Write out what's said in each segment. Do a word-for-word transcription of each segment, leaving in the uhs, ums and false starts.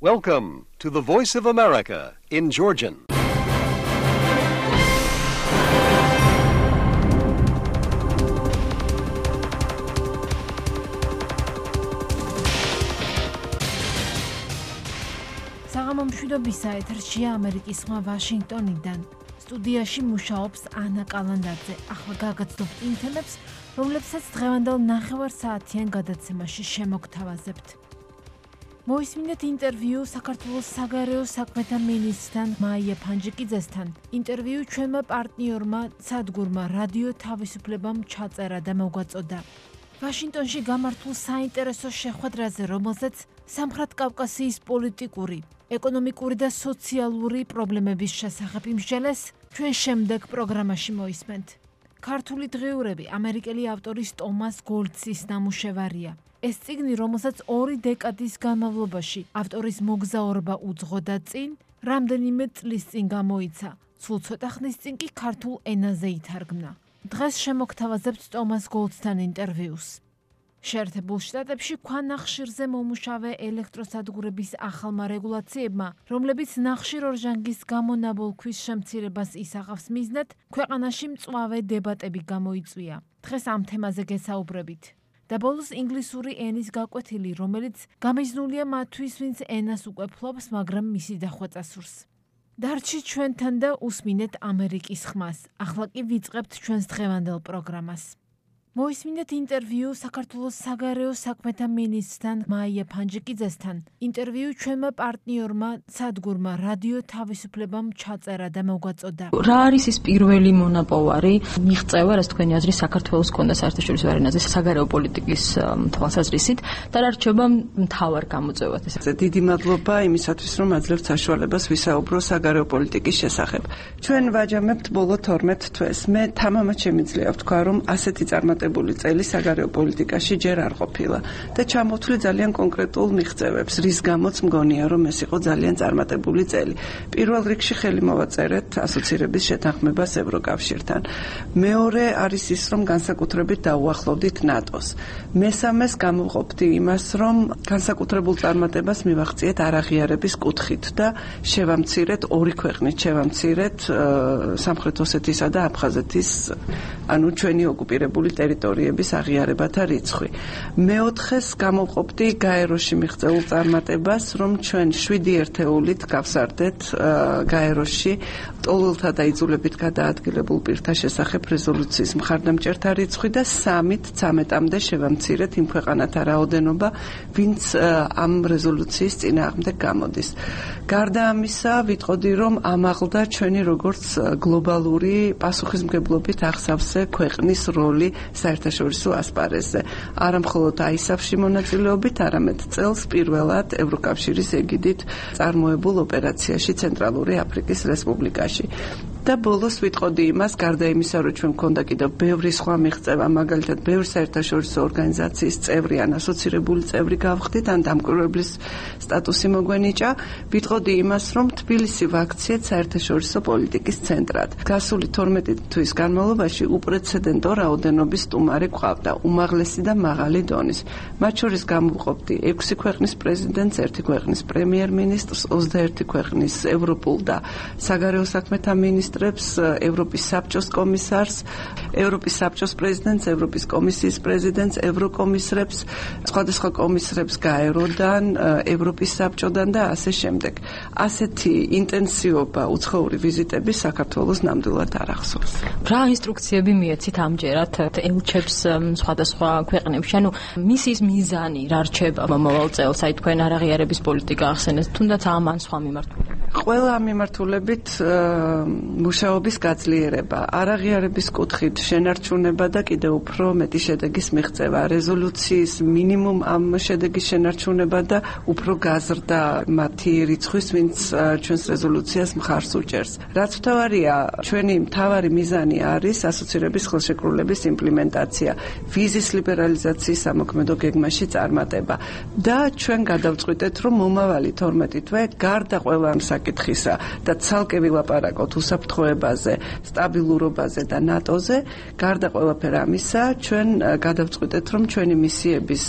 Welcome to the Voice of America in Georgian. საღამომშვიდობისა ეთერშია ამერიკის ხმა ვაშინგტონიდან. სტუდიაში მუშაობს ანა კალანდაძე. ახლა გაგაცნობთ იმ თემებს, რომლებსაც დღევანდელ ნახევარ საათიან გადაცემაში შემოგთავაზებთ. მოისმინეთ ინტერვიუ საქართველოს საგარეო საქმეთა მინისტრთან მაია ფანჯიკიძესთან. ინტერვიუ ჩვენმა პარტნიორმა სადგურმა რადიო თავისუფლებამ ჩაწერა და მოგვაწოდა. ვაშინგტონში გამართულ საინტერესო შეხვედრაზე, რომელზეც სამხრეთ კავკასიის პოლიტიკური, ეკონომიკური და სოციალური პრობლემების შესახებ იმსჯელეს, ჩვენ შემდეგ პროგრამაში მოისმენთ. ქართული დღიურები ამერიკელი ავტორის ტომას გოლცის ნამუშევარია. ეს წიგნი, რომელსაც ორი დეკადის განმავლობაში ავტორის მოგზაურობა უძღოდა წინ, რამდენიმე წლის წინ გამოიცა, სულ ცოტა ხნის წინ კი ქართულ ენაზე ითარგმნა. დღეს შემოგთავაზებთ ტომას გოლცთან ინტერვიუს. შეერთებულ შტატებში ქვანახშირზე მომუშავე ელექტროსადგურების ახალმა რეგულაციებმა, რომლებიც ნახშირორჟანგის გამონაბოლქვის შემცირებას ისახავს მიზნად, ქვეყანაში მწვავე დებატები გამოიწვია. დღეს ამ თემაზე გესაუბრებით. და ბოლოს ინგლისური ენის გაკვეთილი, რომელიც გამიზნულია მათთვის, ვინც ენას უკვე ფლობს, მაგრამ მისი დახვეწა სურს. დარჩით ჩვენთან და უსმინეთ ამერიკის ხმას. ახლა კი ვიწყებთ ჩვენს დღევანდელ პროგრამას. მოისმინეთ ინტერვიუ საქართველოს საგარეო საქმეთა მინისტრთან მაია ფანჯიკიძესთან. ინტერვიუ ჩვენმა პარტნიორმა სადგურმა რადიო თავისუფლებამ ჩაწერა და მოგვაწოდა. რა არის ის პირველი მონაპოვარი მიღწევა, რაც თქვენი აზრით საქართველოს კონდა საერთაშორისო არენაზე საგარეო პოლიტიკის თვალსაზრისით და რა რჩება მთავარ გამოწვევად? დიდი მადლობა იმისათვის, რომ აძლევთ საშუალებას ვისაუბრო საგარეო პოლიტიკის შესახებ. ჩვენ ვაჯამებთ ბოლო თორმეტ თვეს. მე თამამად შემიძლია ვთქვა, რომ ასეთი წარმატებული წელი საგარეო პოლიტიკაში ჯერ არ ყოფილა და ჩამოვთვლი ძალიან კონკრეტულ მიღწევებს, რის გამოც მგონია, რომ ეს იყო ძალიან წარმატებული წელი. პირველ რიგში ხელი მოვაწერეთ ასოცირების შეთანხმებას ევროკავშირთან. მეორე არის ის, რომ განსაკუთრებით დაუახლოვდით ნატოს. მესამეს გამოვყოფდი იმას, რომ განსაკუთრებულ წარმატებას მივაღწიეთ არაღიარების კუთხით და შევამცირეთ ორი ქვეყნით, შევამცირეთ სამხრეთ ოსეთისა და აფხაზეთის, ანუ ჩვენი ოკუპირებული ტერიტორიების აღიარებათა რიცხვი. მეოთხეს გამოვყოფდი გაეროში მიღწეულ წარმატებას, რომ ჩვენ შვიდი ერთეულით გავსარდეთ გაეროში ტოლელთა და იძულებით გადაადგილებულ პირთა შესახებ რეზოლუციის მხარდამჭერთა რიცხვი და სამით ცამეტამდე შევამცირეთ იმ ქვეყანათა რაოდენობა, ვინც ამ რეზოლუციის წინააღმდეგ გამოდის. გარდა ამისა, ვიტყოდი, რომ ამაღლდა ჩვენი როგორც გლობალური პასუხისმგებლობით აღსავსე ქვეყნის როლი საერთაშორისო ასპარეზზე. არა მხოლოდ აისაფში მონაწილეობით, არამედ წელს პირველად ევროკავშირის ეგიდით წარმოებულ ოპერაციაში ცენტრალური აფრიკის რესპუბლიკაში. და ბოლოს ვიტყოდი იმას, გარდა იმისა, რომ ჩვენ მქონდა კიდევ ბევრი სხვა მიღწევა, მაგალითად, ბევრი საერთაშორისო ორგანიზაციის წევრი ან ასოცირებული წევრი გავხდით, ან დამკვირვებლის სტატუსი მოგვენიჭა, ვიტყოდი იმას, რომ თბილისი ვაქციეთ საერთაშორისო პოლიტიკის ცენტრად. გასული თორმეტი თვის განმავლობაში უპრეცედენტო რაოდენობის სტუმარი გვყავდა, უმაღლესი და მაღალი დონის. მათ შორის გამოვყოფდი ექვსი ქვეყნის პრეზიდენტს, ერთი ქვეყნის პრემიერ-მინისტრს, ოცდაერთი ქვეყნის ევროპულ და საგარეო საქმეთა მინისტრს, ევროპის საბჭოს კომისარს, ევროპის საბჭოს პრეზიდენტს, ევროპის კომისიის პრეზიდენტს, ევროკომისრებს, სხვადასხვა კომისრებს გაეროდან, ევროპის საბჭოდან და ასე შემდეგ. ასეთი ინტენსივობა უცხოური ვიზიტები საქართველოს ნამდვილად არ ახსოვს. რა ინსტრუქციები მიეცით ამჯერად ელჩებს სხვადასხვა ქვეყნებში? ანუ მისის მიზანი რა რჩება მომავალ წელს? აი თქვენ არაღიარების პოლიტიკა ახსენეთ, თუნდაც ამ ან სხვა მიმართულებით. ყველა ამ მიმართულებით მუშაობის გაძლიერება, არაღიარების კუთხით შენარჩუნება და კიდევ უფრო მეტი შედეგის მიღწევა, რეზოლუციის მინიმუმ ამ შედეგის შენარჩუნება და უფრო გაზრდა მათი რიცხვის, ვინც ჩვენს რეზოლუციას მხარს უჭერს. რაც მთავარია, ჩვენი მთავარი მიზანი არის ასოცირების ხელშეკრულების იმპლემენტაცია, ვიზის ლიბერალიზაციის სამოქმედო გეგმაში წარმატება და ჩვენ გადავწყვიტეთ, რომ მომავალი თორმეტი თვე გარდა ყველა ამ საკითხის საკითხისა და ცალკე ვილაპარაკოთ უსაფრთხოებაზე, სტაბილურობაზე და ნატოზე, გარდა ყველაფერ ამისა, ჩვენ გადავწყვიტეთ, რომ ჩვენი მისიების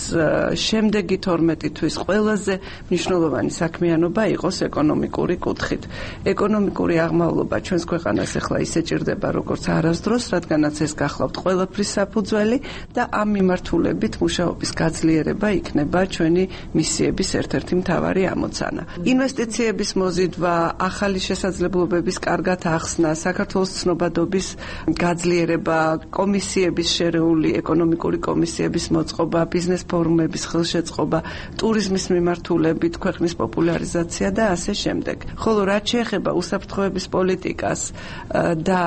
შემდეგი თორმეტი თვის ყველაზე მნიშვნელოვანი საქმიანობა იყოს ეკონომიკური კუთხით. ეკონომიკური აღმავლობა ჩვენს ქვეყანას ახლა ისე ჭირდება, როგორც არასდროს, რადგანაც ეს გახლავთ ყველაფრის საფუძველი და ამ მიმართულებით მუშაობის გაძლიერება იქნება ჩვენი მისიების ერთ-ერთი მთავარი ამოცანა. ინვესტიციების მოზიდვა, ახალი შესაძლებლობების კარგად ახსნა, საქართველოს ცნობადობის გაძლიერება, კომისიების შერეული ეკონომიკური კომისიების მოწყობა, ბიზნეს ფორუმების ხელშეწყობა, ტურიზმის მიმართულებით ქვეყნის პოპულარიზაცია და ასე შემდეგ. ხოლო რაც შეეხება უსაფრთხოების პოლიტიკას და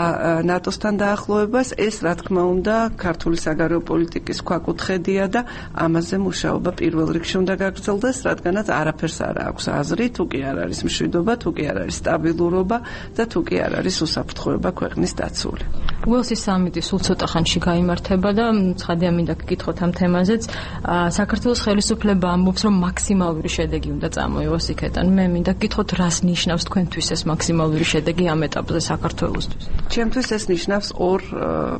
ნატოსთან დაახლოებას, ეს რა თქმა უნდა ქართული საგარეო პოლიტიკის ქვაკუთხედია და ამაზე მუშაობა პირველ რიგში უნდა გაგრძელდეს, რადგანაც არაფერს არ აქვს აზრი, თუ კი არ არის მშვიდობა, თუ კი არ არის სტაბილურობა და თუ კი არ არის უსაფრთხოება ქვეყნის დაცული. უელსის სამიტი სულ ცოტა ხანში გაიმართება და ცხადია მინდა გკითხოთ ამ თემაზეც. საქართველოს ხელისუფლება ამბობს, რომ მაქსიმალური შედეგი უნდა წამოიღოს იქიდან. მე მინდა გკითხოთ, რას ნიშნავს თქვენთვის ეს მაქსიმალური შედეგი ამ ეტაპზე საქართველოსთვის? ჩემთვის ეს ნიშნავს ორ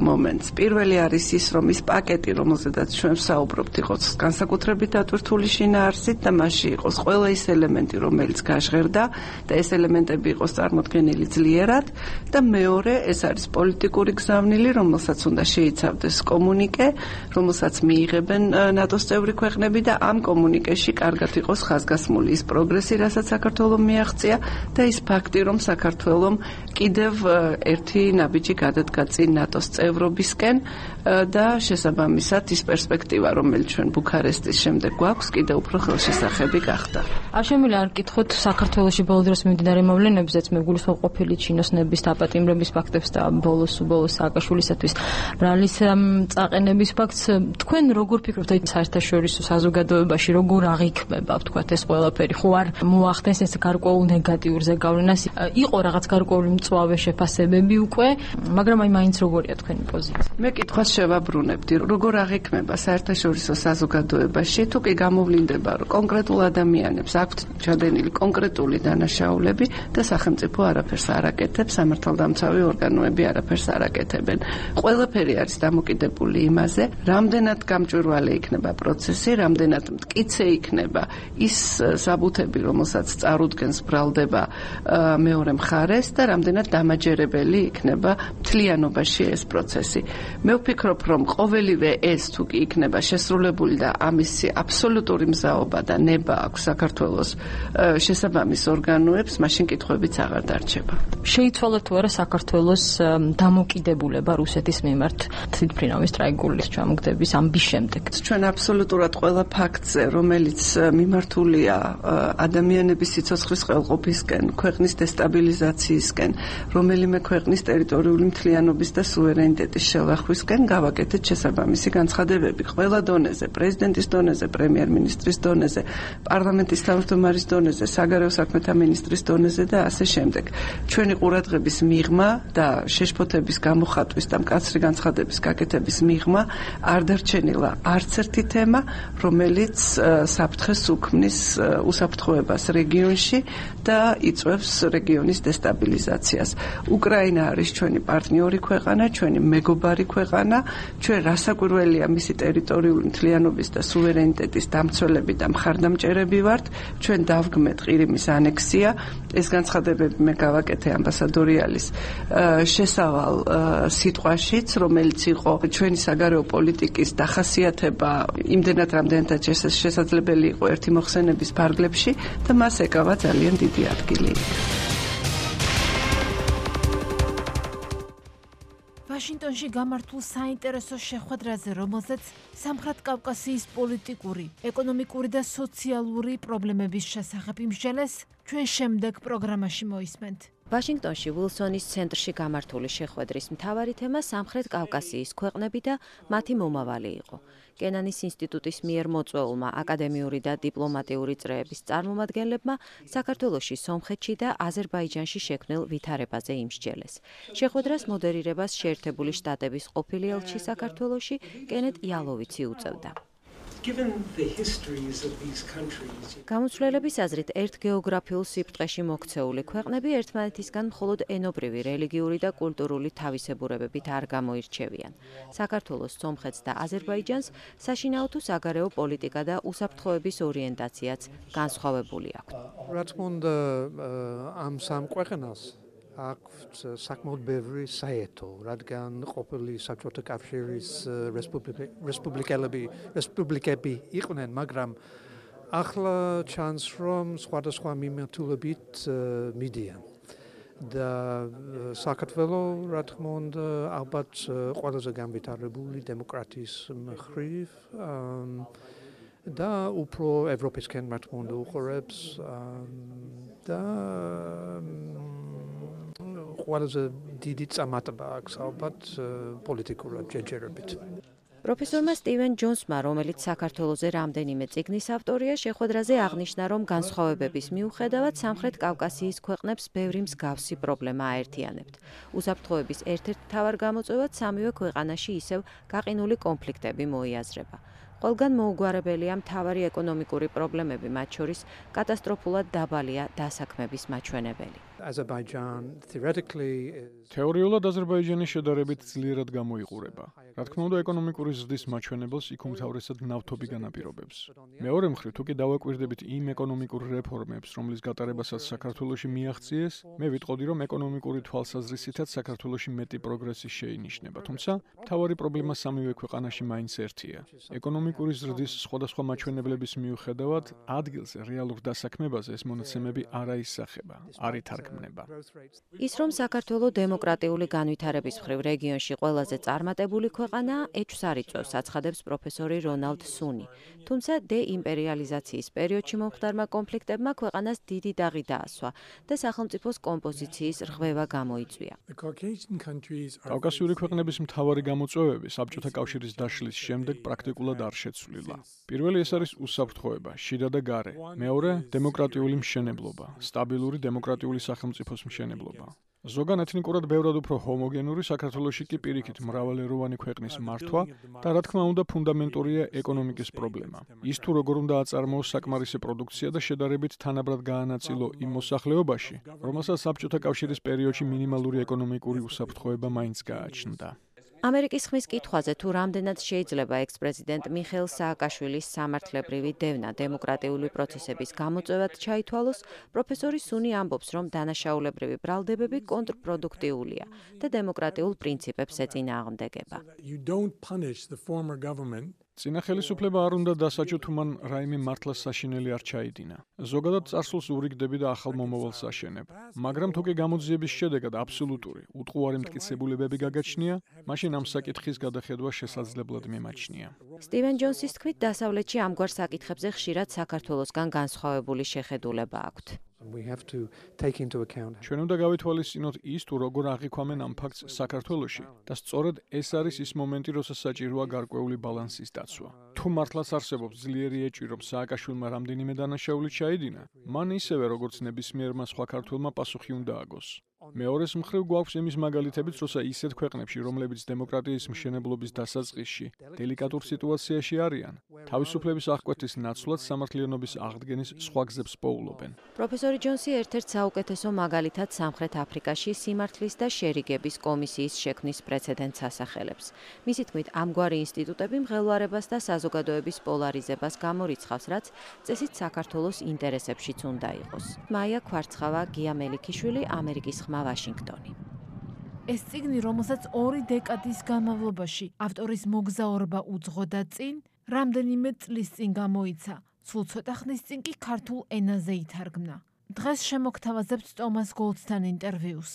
მომენტს. პირველი არის ის, რომ ის პაკეტი, რომელზედაც ჩვენ ვსაუბრობთ, იყოს განსაკუთრებით დატვირთული შინაარსით და მასში იყოს ყველა ის ელემენტი, რომელიც გაჟღერდა და ეს ელემენტები იყოს წარმოქმნილი ძლიერად და მეორე, ეს არის პოლიტიკური გზავნილი, რომელსაც უნდა შეიცავდეს კომუნიკე, რომელსაც მიიღებენ ნატოს წევრი ქვეყნები და ამ კომუნიკეში კარგად იყოს ხაზგასმული ის პროგრესი, რასაც საქართველომ მიაღწია და ის ფაქტი, რომ საქართველომ კიდევ ერთი ნაბიჯი გადადგა წინ ნატოს წევრობისკენ და შესაბამისად ის პერსპექტივა, რომელიც ჩვენ ბუქარესტის შემდეგ გვაქვს, კიდევ უფრო ხელშესახები გახდა. არ შემიძლია არ გკითხოთ საქართველოში ბოლო დროს მიმდინარე მოვლენებზეც, მე გულისხმობ ყოფილი ჩინოსნების დაპატიმრების ფაქტებს და ბოლოს უბოლოს სააკაშვილისათვის ბრალის წაყენების ფაქტს. თქვენ როგორ ფიქრობთ, აი საერთაშორისო საზოგადოებაში როგორ აღიქმება, ვთქვათ, ეს ყველაფერი? ხო არ მოახდენს ეს გარკვეულ ნეგატიურ ზეგავლენას? იყო რაღაც გარკვეული მწვავე შეფასებები უკვე, მაგრამ აი მაინც როგორია თქვენი პოზიცია? მე კითხვას შევაბრუნებდი, როგორ აღიქმება საერთაშორისო საზოგადოებაში, თუ კი გამოვლინდება, რომ კონკრეტულ ადამიანებს აქვთ ჩადენილი კონკრეტული დანაშაულები და სახელმწიფო არაფერს არ აკეთებს, სამართალდამცავი ორგანოები არაფერს არ აკეთებენ. ყველაფერი არის დამოკიდებული იმაზე, რამდენად გამჭვირვალე იქნება პროცესი, რამდენად მტკიცე იქნება ის საბუთები, რომელსაც წარუდგენს ბრალდება მეორე მხარეს და რამდენად დამაჯერებელი იქნება მთლიანობაში ეს პროცესი. მე ვფიქრობ, რომ ყოველივე ეს თუ კი იქნება შესრულებული და ამისი აბსოლუტური მზაობა და ნება აქვს საქართველოს შესაბამის ორგანოებს, მაშინ კითხვებიც აღარ დარჩება. შეიცვალა თუ არა საქართველოს დამოკიდებულება რუსეთის მიმართ თვითმფრინავის ტრაგიკული ჩამოგდების ამბის შემდეგ? ჩვენ აბსოლუტურად ყველა ფაქტზე, რომელიც მიმართულია ადამიანების სიცოცხლის ყელყოფისკენ, ქვეყნის დესტაბილიზაციისკენ, რომელიმე ქვეყნის ტერიტორიული მთლიანობის და სუვერენიტეტის შელახვისკენ გავაკეთეთ შესაბამისი განცხადებები ყველა დონეზე, პრეზიდენტის დონეზე, პრემიერ-მინისტრის დონეზე, პარლამენტის თავმჯდომარის დონეზე, საგარეო საქმეთა მინისტრის დონეზე და ასე შემდეგ. ჩვენი ყურადღების მიღმა და შეშფოთების გამოხატვის და მკაცრი განცხადების გაკეთების მიღმა არ დარჩენილა არც ერთი თემა, რომელიც საფრთხეს უქმნის უსაფრთხოებას რეგიონში და იწვევს რეგიონის დესტაბილიზაციას. უკრაინა არის ჩვენი პარტნიორი ქვეყანა, ჩვენი მეგობარი ქვეყანა, ჩვენ რასაკვირველია მისი ტერიტორიული მთლიანობის და სუვერენიტეტის დამცველები და მხარდამჭერები ვართ, ჩვენ დავგმეთ ყირიმის ანექსია, ეს განცხადებები მე გავაკეთე ამბასადორიალის შესავალ სიტყვაშიც, რომელიც იყო ჩვენი საგარეო პოლიტიკის დახასიათება იმდენად რამდენადაც შესაძლებელი იყო ერთი მოხსენების ფარგლებში და მას ეკავა ძალიან დიდი ადგილი. ვაშინგტონში გამართულ საინტერესო შეხვედრაზე, რომელზეც სამხრეთ კავკასიის პოლიტიკური, ეკონომიკური და სოციალური პრობლემების შესახებ იმსჯელეს, ჩვენ შემდეგ პროგრამაში მოისმენთ. ვაშინგტონში ვილსონის ცენტრში გამართული შეხვედრის მთავარი თემა სამხრეთ კავკასიის ქვეყნები და მათი მომავალი იყო. კენანის ინსტიტუტის მიერ მოწვეულმა აკადემიური და დიპლომატიური წრეების წარმომადგენლებმა საქართველოში, სომხეთში და აზერბაიჯანში შექმნილ ვითარებაზე იმსჯელეს. შეხვედრას მოდერირებას შეერთებული შტატების ყოფილი ელჩი საქართველოში კენეთ იალოვიცი უწევდა. გამოცვლელების აზრით, ერთ გეოგრაფიულ სიბრტყეში მოქცეული ქვეყნები ერთმანეთისგან მხოლოდ ენობრივი, რელიგიური და კულტურული თავისებურებებით არ გამოირჩევიან. საქართველოს, სომხეთს და აზერბაიჯანს საშინაო თუ საგარეო პოლიტიკა და უსაფრთხოების ორიენტაციაც განსხვავებული აქვთ. რა თქმა უნდა, ამ სამ ქვეყანას აქვთ საკმაოდ ბევრი საერთო, რადგან ყოფილი საბჭოთა კავშირის რესპუბლიკელები რესპუბლიკები იყვნენ, მაგრამ ახლა ჩანს, რომ სხვადასხვა მიმართულებით მიდიან. და საქართველოს, რა თქმა უნდა, ალბათ ყველაზე განვითარებული დემოკრატიის მხრივ და უფრო ევროპისკენ, რა თქმა უნდა, უყურებს და ყველაზე დიდი წარმატება აქვს ალბათ პოლიტიკურად ჯერჯერობით. პროფესორმა სტივენ ჯონსმა, რომელიც საქართველოზე რამდენიმე წიგნის ავტორია, შეხვედრაზე აღნიშნა, რომ განსხვავებების მიუხედავად სამხრეთ კავკასიის ქვეყნებს ბევრი მსგავსი პრობლემა აერთიანებთ. უსაფრთხოების ერთ-ერთ მთავარ გამოწვევად სამივე ქვეყანაში ისევ გაყინული კონფლიქტები მოიაზრება. ყველგან მოუგვარებელია მთავარი ეკონომიკური პრობლემები, მათ შორის კატასტროფულად დაბალია დასაქმების მაჩვენებელი. თეორიულად აზერბაიჯანი შედარებით ძლიერად გამოიყურება. რა თქმა უნდა, ეკონომიკური ზრდის მაჩვენებელს იქ უმთავრესად ნავთობი განაპირობებს. მეორე მხრივ, თუ კი დავაკვირდებით იმ ეკონომიკურ რეფორმებს, რომლის გატარებასაც საქართველოში მიაღწიეს, მე ვიტყოდი, რომ ეკონომიკური თვალსაზრისითაც საქართველოში მეტი პროგრესი შეინიშნება. თუმცა, მთავარი პრობლემა სამივე ქვეყანაში მაინც ერთია. ეკონომიკური ზრდის სხვადასხვა მაჩვენებლების მიუხედავად, ადგილზე რეალურ დასაქმებაზე ეს მონაცემები არ აისახება, არ ითარგმნება. ის, რომ საქართველოს დემოკრატიული განვითარების მხრივ რეგიონში ყველაზე წარმატებული ქვეყანაა, ეჭვს არ იწვევს, აცხადებს პროფესორი რონალდ სუნი. თუმცა დეიმპერიალიზაციის პერიოდში მომხდარმა კონფლიქტებმა ქვეყანას დიდი დაღი დაასვა და სახელმწიფოს კომპოზიციის რღვევა გამოიწვია. კავკასიური ქვეყნების მთავარი გამოწვევები საბჭოთა კავშირის დაშლის შემდეგ პრაქტიკულად არ შეცვლილა. პირველი ეს არის უსაფრთხოება, შიდა და გარე. მეორე, დემოკრატიული მშენებლობა, სტაბილური დემოკრატიული სახელმწიფოს მშენებლობა. ზოგან ეთნიკურად ბევრად უფრო ჰომოგენური, საქართველოში კი პირიქით მრავალეროვანი ქვეყნის მართვა და რა თქმა უნდა ფუნდამენტურია ეკონომიკის პრობლემა. ის თუ როგორ უნდა აწარმოოს საკმარისი პროდუქცია და შედარებით თანაბრად გაანაწილო იმ მოსახლეობაში, რომელსაც საბჭოთა კავშირის პერიოდში მინიმალური ეკონომიკური უსაფრთხოება მაინც გააჩნდა. ამერიკის ხმის კითხვაზე თუ რამდენად შეიძლება ექს-პრეზიდენტ მიხეილ სააკაშვილის სამართლებრივი დევნა დემოკრატიული პროცესების გამოწვევად ჩაითვალოს, პროფესორი სუნი ამბობს, რომ დანაშაულებრივი ბრალდებები კონტრპროდუქტიულია და დემოკრატიულ პრინციპებს ეწინააღმდეგება. წინა ხელისუფლება არ უნდა დასაჯო, თუ მან რაიმე მართლაც საშინელი არ ჩაიდინა. ზოგადად წარსულს ურიგდები და ახალ მომავალს აშენებ. მაგრამ თუ კი გამოძიების შედეგად აბსოლუტური, უტყუარი მტკიცებულებები გაგაჩნია, მაშინ ამ საკითხის გადახედვა შესაძლებლად მიმაჩნია. სტივენ ჯონსის თქმით, დასავლეთში ამგვარ საკითხებზე ხშირად საქართველოსგან განსხვავებული შეხედულება აქვთ. ჩვენ უნდა გავითვალისწინოთ ის, თუ როგორ აღიქვამენ ამ ფაქტს საქართველოში და სწორედ ეს არის ის მომენტი, როცა საჭიროა გარკვეული ბალანსის დაცვა. თუ მართლაც არსებობს ძლიერი ეჭვი, რომ სააკაშვილმა რამდენიმე დანაშაული ჩაიდინა, მან ისევე როგორც ნებისმიერმა სხვა ქართველმა პასუხი უნდა აგოს. მეორეს მხრივ გვაქვს იმის მაგალითებიც, როცა ისეთ ქვეყნებში, რომლებიც დემოკრატიის მშენებლობის დასაწყისში დელიკატურ სიტუაციაში არიან, თავისუფლების აღკვეთის ნაცვლად სამართლიანობის აღდგენის სხვა გზებს პოულობენ. პროფესორი ჯონსი ერთ-ერთ საუკეთესო მაგალითად სამხრეთ აფრიკაში სიმართლის და შერიგების კომისიის შექმნის პრეცედენტს ასახელებს. მისი თქმით, ამგვარი ინსტიტუტები მღელვარებას და საზოგადოების პოლარიზებას გამორიცხავს, რაც წესით საქართველოს ინტერესებშიც უნდა იყოს. მაია ქვარცხავა, გია მელიქიშვილი, ამერიკის ხმა, ვაშინგტონი. ეს წიგნი, რომელსაც ორი დეკადის განმავლობაში ავტორის მოგზაურობა უძღოდა წინ, რამდენიმე წლის წინ გამოიცა. სულ ცოტა ხნის წინ კი ქართულ ენაზე ითარგმნა. დღეს შემოგთავაზებთ ტომას გოლდსთან ინტერვიუს.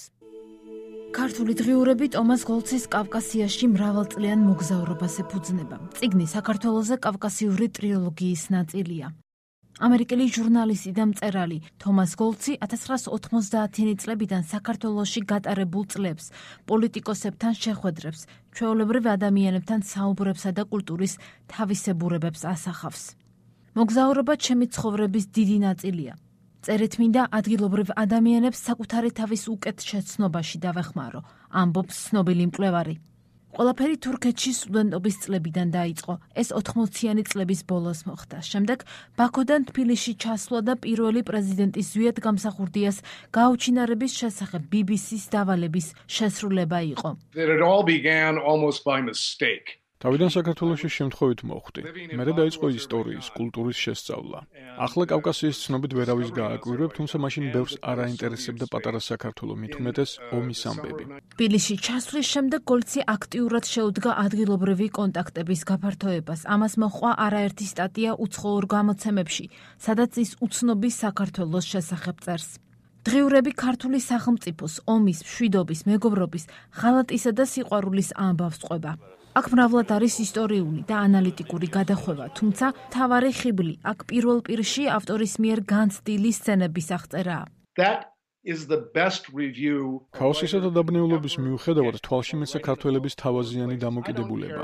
ქართული დღიურები ტომას გოლდსის კავკასიაში მრავალწლიან მოგზაურობას ეფუძნება. წიგნი საქართველოზე კავკასიური ტრილოგიის ნაწილია. ამერიკელი ჟურნალისტი და მწერალი თომას გოლდსი ათას ცხრაას ოთხმოცდაათიანი წლებიდან საქართველოში გატარებულ წლებს, პოლიტიკოსებთან შეხვედრებს, ჩვეულებრივ ადამიანებთან საუბრებსა და კულტურის თავისებურებებს ასახავს. მოგზაურობა ჩემი ცხოვრების დიდი ნაწილია. წერეთ მინდა ადგილობრივ ადამიანებს საკუთარი თავის უკეთ შეცნობაში დავეხმარო, ამბობს ცნობილი მკვლევარი. ყველაფერი თურქეთში სტუდენტობის წლებიდან დაიწყო. ეს ოთხმოციანი წლების ბოლოს მოხდა. შემდეგ ბაქოდან თბილისში ჩასვლა და პირველი პრეზიდენტის ზვიად გამსახურდიას გაუჩინარების შესახებ ბი ბი სის დავალების შესრულება იყო. It all began almost by mistake. თავიდან საქართველოში შემთხვევით მოხვდი. მერე დაიწყო ისტორიის, კულტურის შესწავლა. ახლა კავკასიის ცნობით ვერავის გააკვირვებ, თუმცა მაშინ ბევრს არ აინტერესებდა პატარა საქართველო, მით უმეტეს ომის ამბები. თბილისში ჩასვლის შემდეგ გოლცი აქტიურად შეუდგა ადგილობრივი კონტაქტების გაფართოებას. ამას მოჰყვა არაერთი სტატია უცხოურ გამოცემებში, სადაც ის უცნობის საქართველოს შესახებ წერს. დღიურები ქართული სახელმწიფოს, ომის, მშვიდობის, მეგობრობის, ღალატისა და სიყვარულის ამბავს ყვება. აქ მრავლად არის ისტორიული და ანალიტიკური გადახვევა, თუმცა მთავარი ხიბლი აქ პირველ პირში ავტორის მიერ განცდილი სცენების აღწერაა. That is the best review. ქაოსისა და დაბნეულობის მიუხედავად თვალში მეცა ქართველების თავაზიანი დამოკიდებულება.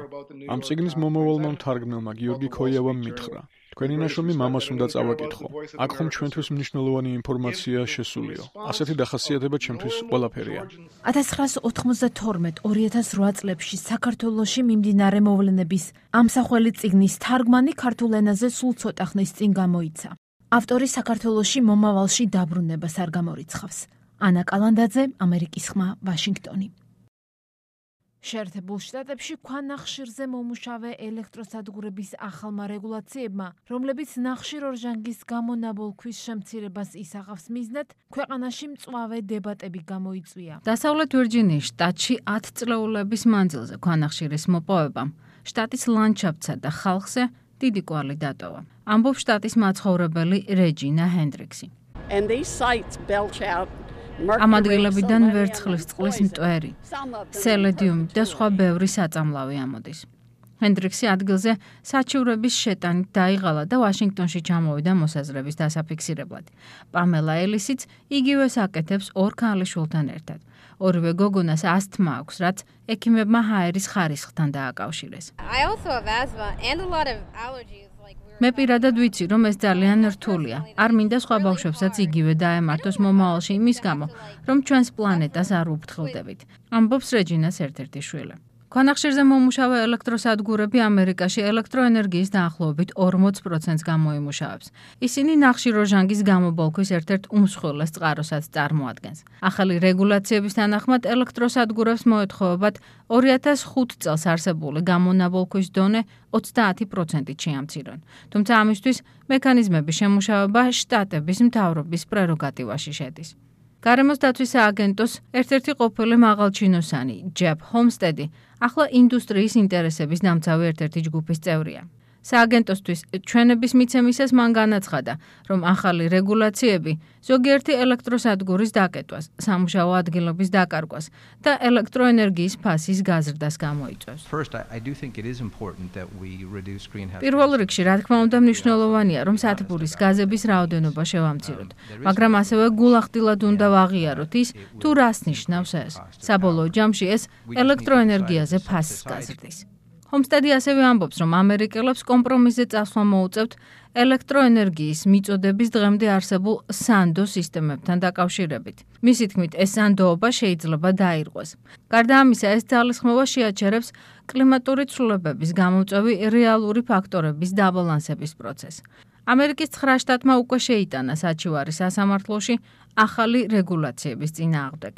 ამ წიგნის მომავალმა მთარგმნელმა გიორგი ქოიავამ მითხრა: თქვენი ნაშრომი მამას უნდა წავაკითხო. აქ ხომ ჩვენთვის მნიშვნელოვანი ინფორმაცია შესულიო. ასეთი დახასიათება ჩემთვის ყველაფერია. ათას ცხრაასი ოთხმოცდათორმეტ ორი ათას რვა წლებში საქართველოში მიმდინარე მოვლენების ამსახველი წიგნის თარგმანი ქართულ ენაზე სულ ცოტა ხნის წინ გამოიცა. ავტორი საქართველოში მომავალში დაბრუნებას არ გამორიცხავს. ანა კალანდაძე, ამერიკის ხმა, ვაშინგტონი. შეერთებულ შტატებში ქვანახშირზე მომუშავე ელექტროსადგურების ახალმა რეგულაციებმა, რომლებიც ნახშირორჟანგის გამონაბოლქვის შემცირებას ისაღავს მიზნად, ქვეყანაში მწვავე დებატები გამოიწვია. დასავლეთ ვირჯინიის შტატში ათ წლეულების მანძილზე ქვანახშირის მოპოვებამ შტატის ლანდშაფტსა და ხალხზე დიდი კვალი დატოვა. ამბობს შტატის მაცხოვრებელი რეჯინა ჰენდრიქსი. ამ ადგილებიდან ვერცხლის წყლის მტვერი, სელედიუმი და სხვა ბევრი საწამლავი ამოდის. ჰენდრიქსი ადგილზე საჩივრების შეტანით დაიღალა და ვაშინგტონში ჩამოვიდა მოსაზრების დასაფიქსირებლად. პამელა ელისიც იგივეს აკეთებს ორ ქალიშვილთან ერთად. ორივე გოგონას ასთმა აქვს, რაც ექიმებმა ჰაერის ხარისხთან დააკავშირეს. მე პირადად ვიცი, რომ ეს ძალიან რთულია. არ მინდა სხვა ბავშვებსაც იგივე დაემართოს მომავალში იმის გამო, რომ ჩვენს პლანეტას არ უფრთხილდებით. ამბობს რეჯინას ერთ-ერთი შვილი. ქვანახშირზე მომუშავე ელექტროსადგურები ამერიკაში ელექტროენერგიის დაახლოებით ორმოც პროცენტს გამოიმუშავებს. ისინი ნახშირორჟანგის გამობოლქვის ერთ-ერთ უმსხვილეს წყაროსაც წარმოადგენს. ახალი რეგულაციების თანახმად ელექტროსადგურებს მოეთხოვებათ ორი ათას ხუთი წელს არსებული გამონაბოლქვის დონე ოცდაათი პროცენტით შეამცირონ. თუმცა ამისთვის მექანიზმების შემუშავება შტატების მთავრობის პრეროგატივაში შედის. გარემოს დაცვის სააგენტოს ერთ-ერთი ყოფილი მაღალჩინოსანი, ჯეფ ჰომსტედი, ახლა ინდუსტრიის ინტერესების დამცავი ერთ-ერთი ჯგუფის წევრია. სააგენტოსთვის ჩვენების მიცემისას მან განაცხადა, რომ ახალი რეგულაციები ზოგიერთი ელექტროსადგურის დაკეტვას, სამუშაო ადგილების დაკარგვას და ელექტროენერგიის ფასის გაზრდას გამოიწვევს. პირველ რიგში, რა თქმა უნდა, მნიშვნელოვანია, რომ სათბურის გაზების რაოდენობა შევამციროთ, მაგრამ ასევე გულახდილად უნდა ვაღიაროთ ის, თუ რას ნიშნავს ეს. საბოლოო ჯამში ეს ელექტროენერგიაზე ფასს გაზრდის. ჰომსტედი ასევე ამბობს, რომ ამერიკელებს კომპრომისზე წასვლა მოუწევთ ელექტროენერგიის მიწოდების დღემდე არსებულ სანდო სისტემებთან დაკავშირებით. მისი თქმით, ეს სანდოობა შეიძლება დაირღვეს. გარდა ამისა, ეს ძალისხმევა შეაჩერებს კლიმატური ცვლილებების გამოწვევი რეალური ფაქტორების დაბალანსების პროცესს. ამერიკის ცხრა შტატმა უკვე შეიტანა საჩივარი სასამართლოში ახალი რეგულაციების წინააღმდეგ.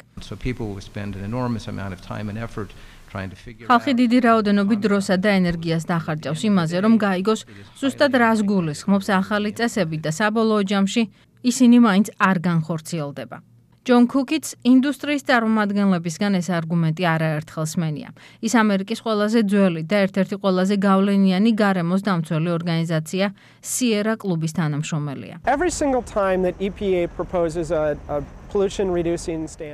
ხალხი დიდი რაოდენობით დროსა და ენერგიას დახარჯავს იმაზე, რომ გაიგოს ზუსტად რას გულისხმობს ახალი წესები და საბოლოო ჯამში ისინი მაინც არ განხორციელდება. ჯონ კუკიც ინდუსტრიის წარმომადგენლებისგან ეს არგუმენტი არაერთხელ სმენია. ის ამერიკის ყველაზე ძველი და ერთ-ერთი ყველაზე გავლენიანი გარემოს დამცველი ორგანიზაცია სიერა კლუბის თანამშრომელია. Every single time that E P A proposes a, a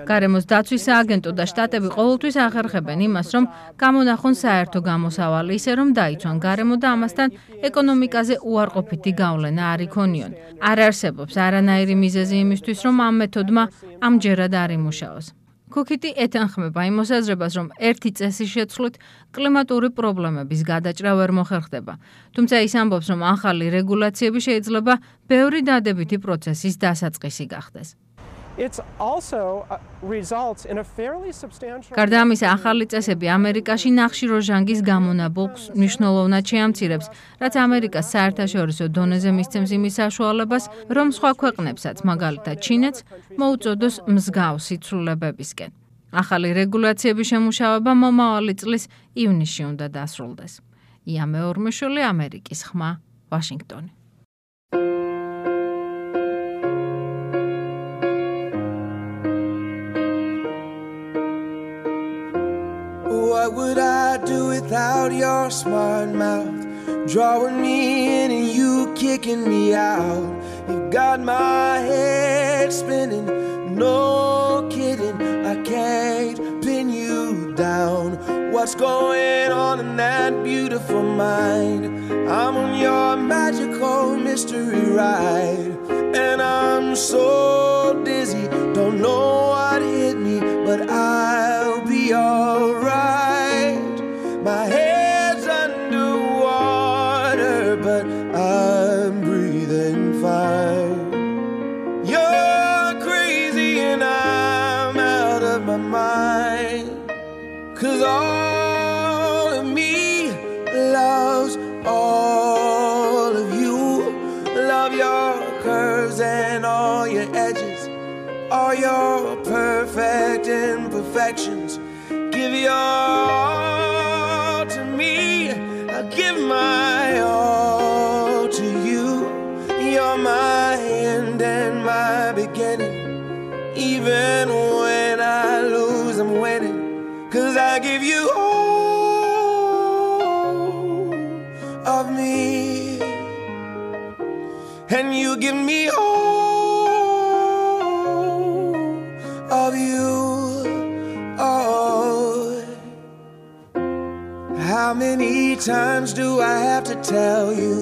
გარემოს დაცვის სააგენტო და შტატები ყოველთვის ახერხებენ იმას, რომ გამონახონ საერთო გამოსავალი, ისე რომ დაიცვან გარემო და ამასთან ეკონომიკაზე უარყოფითი გავლენა არ იქონიონ. არ არსებობს არანაირი მიზეზი იმისთვის, რომ ამ მეთოდმა ამჯერად არ იმუშაოს. კუკიტი ეთანხმება იმ მოსაზრებას, რომ ერთი წესის შეცვლით კლიმატური პრობლემების გადაჭრა ვერ მოხერხდება. თუმცა ის ამბობს, რომ ახალი რეგულაციები შეიძლება ბევრი დადებითი პროცესის დასაწყისი გახდეს. It's also uh, results in a fairly substantial გარდა ამისა, ახალი წესები ამერიკაში ნახშირ როჟანგის გამონაბოლქს მნიშვნელოვნად შეამცირებს, რაც ამერიკას საერთაშორისო დონეზე მისცემს იმის საშუალებას, რომ სხვა ქვეყნებსაც, მაგალითად ჩინეთს, მოუწოდოს მსგავსი ცვლილებებისკენ. ახალი რეგულაციების შემუშავება მომავალი წლის ივნისში უნდა დასრულდეს. ია მეორმეშვილი, ამერიკის ხმა, ვაშინგტონი. What would I do without your smart mouth? Drawing me in and you kicking me out. You've got my head spinning, no kidding. I can't pin you down. What's going on in that beautiful mind? I'm on your magical mystery ride, and I'm so dizzy, don't know what hit me, but I'll be alright. My head's underwater, but I'm breathing fine. You're crazy and I'm out of my mind, 'cause all of me loves all of you. Love your curves and all your edges, all your perfect imperfections. Give your all to me, I'll give my all to you. You're my end and my beginning. Even when I lose, I'm winning, 'cause I give you all of me, and you give me all of you. Oh, how many times do I have to tell you?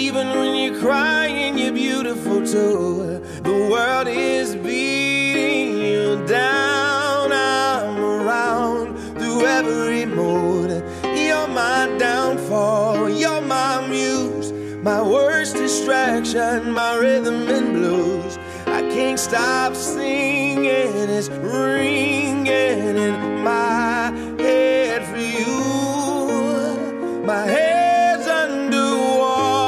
Even when you're crying, you're beautiful too. The world is beating you down. I'm around through every mood. You're my downfall, you're my muse, my worst distraction, my rhythm and blues. I can't stop singing, it's ringing in my head for you. My head's underwater,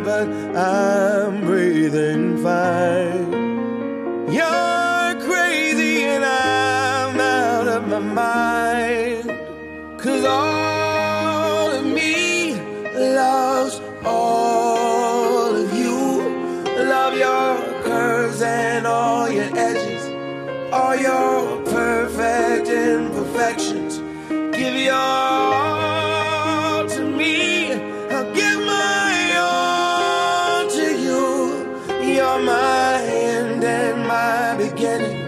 but I'm breathing fine. You're crazy and I'm out of my mind, 'cause all of me loves all of you. Love your curves and all your edges, all your perfect imperfections. Give your all to me, I'll give my all to you. You're my end and my beginning.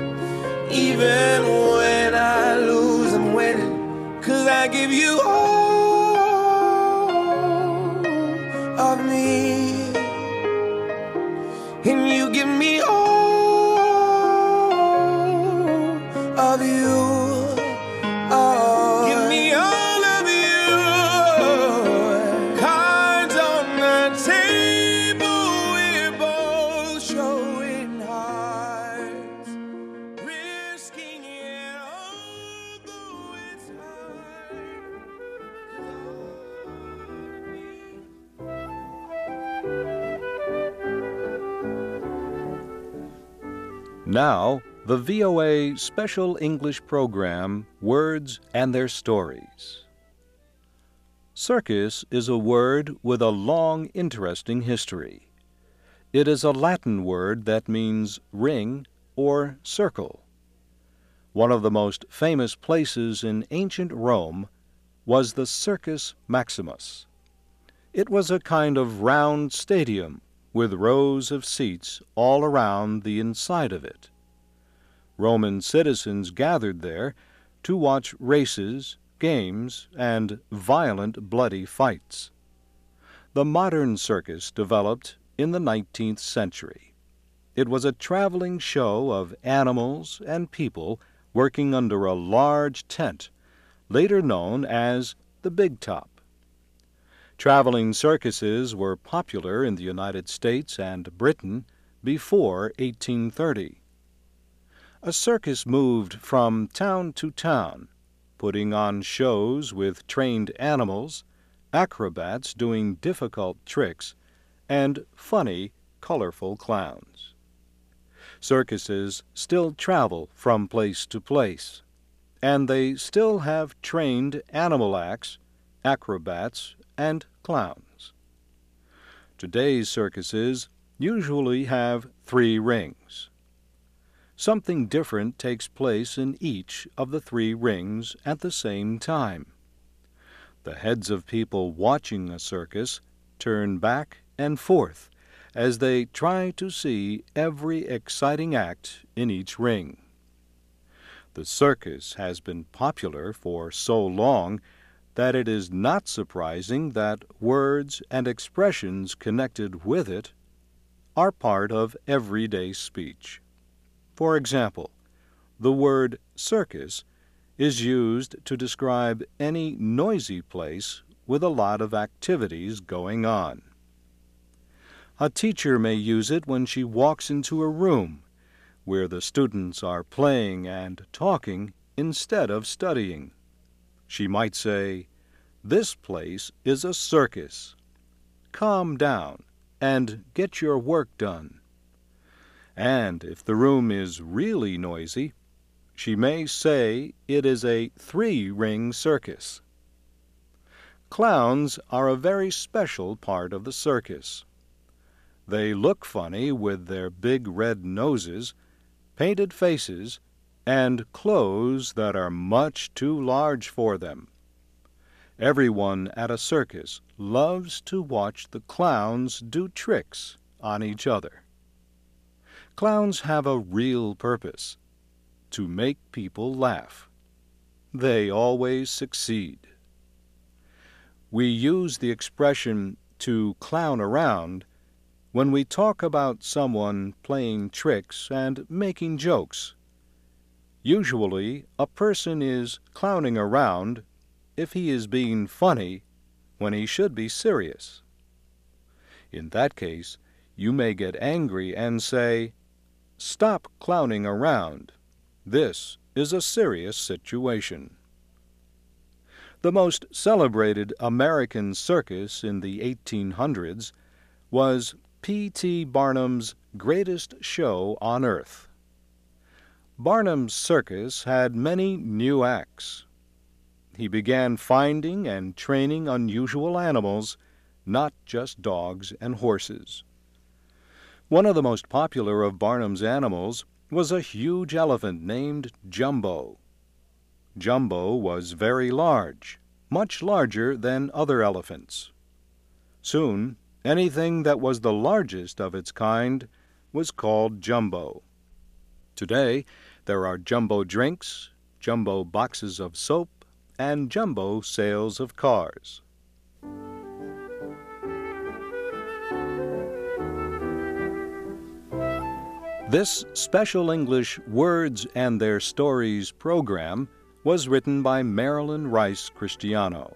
Even when I lose, I'm winning, 'cause I give you all of me, and you give me all of you. Oh, give me all of you. Cards on the table, we're both showing hearts, risking it all, though it's hard. Now, the V O A special English program, Words and Their Stories. Circus is a word with a long, interesting history. It is a Latin word that means ring or circle. One of the most famous places in ancient Rome was the Circus Maximus. It was a kind of round stadium with rows of seats all around the inside of it. Roman citizens gathered there to watch races, games, and violent, bloody fights. The modern circus developed in the nineteenth century. It was a traveling show of animals and people working under a large tent, later known as the Big Top. Traveling circuses were popular in the United States and Britain before eighteen thirty. A circus moved from town to town, putting on shows with trained animals, acrobats doing difficult tricks, and funny, colorful clowns. Circuses still travel from place to place, and they still have trained animal acts, acrobats, and clowns. Today's circuses usually have three rings. Something different takes place in each of the three rings at the same time. The heads of people watching a circus turn back and forth as they try to see every exciting act in each ring. The circus has been popular for so long that it is not surprising that words and expressions connected with it are part of everyday speech. For example, the word circus is used to describe any noisy place with a lot of activities going on. A teacher may use it when she walks into a room where the students are playing and talking instead of studying. She might say, "This place is a circus. Calm down and get your work done." And if the room is really noisy, she may say it is a three-ring circus. Clowns are a very special part of the circus. They look funny with their big red noses, painted faces, and clothes that are much too large for them. Everyone at a circus loves to watch the clowns do tricks on each other. Clowns have a real purpose: to make people laugh. They always succeed. We use the expression to clown around when we talk about someone playing tricks and making jokes. Usually, a person is clowning around if he is being funny when he should be serious. In that case, you may get angry and say, "Stop clowning around. This is a serious situation." The most celebrated American circus in the eighteen hundreds was P T Barnum's Greatest Show on Earth. Barnum's circus had many new acts. He began finding and training unusual animals, not just dogs and horses. One of the most popular of Barnum's animals was a huge elephant named Jumbo. Jumbo was very large, much larger than other elephants. Soon, anything that was the largest of its kind was called Jumbo. Today, there are jumbo drinks, jumbo boxes of soap, and jumbo sales of cars. This Special English Words and Their Stories program was written by Marilyn Rice Cristiano.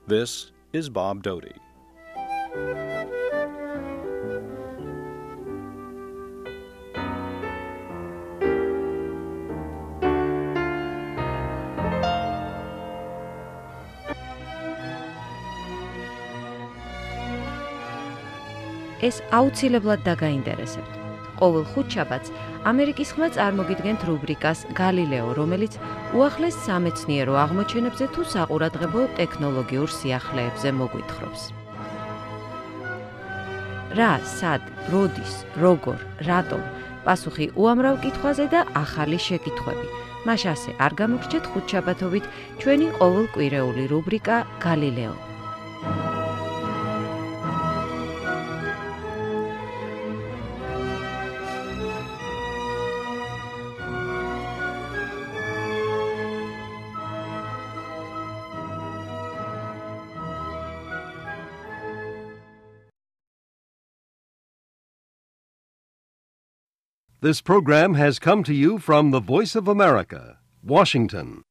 This is Bob Doty. ეს აუცილებლად დაგაინტერესებთ. ყოველ ხუთშაბათს ამერიკის ხმა წარმოგიდგენთ რუბრიკას გალილეო, რომელიც უახლეს სამეცნიერო აღმოჩენებზე თუ საყურადღებო ტექნოლოგიურ სიახლეებზე მოგვითხრობს. რა, სად, როდის, როგორ, რატომ? პასუხი უამრავ კითხვაზე და ახალი შეკითხვები. მას ასე არ გამოგრჩეთ ხუთშაბათობით ჩვენი ყოველკვირეული რუბრიკა გალილეო. This program has come to you from the Voice of America, Washington.